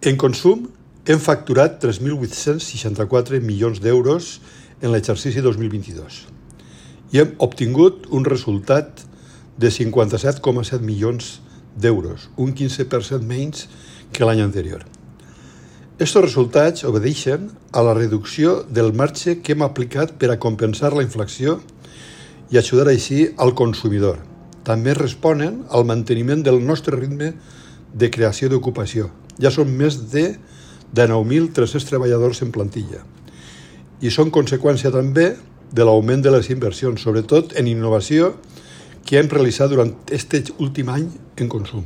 En consum, hem facturat 3.864 milions d'euros en l'exercici 2022 i hem obtingut un resultat de 57,7 milions d'euros, un 15% menys que l'any anterior. Estos resultats obedeixen a la reducció del marge que hem aplicat per a compensar la inflació i ajudar així al consumidor. També responen al manteniment del nostre ritme de creació d'ocupació. Ja són més de 9.300 treballadors en plantilla i són conseqüència també de l'augment de les inversions, sobretot en innovació, que hem realitzat durant aquest últim any en consum.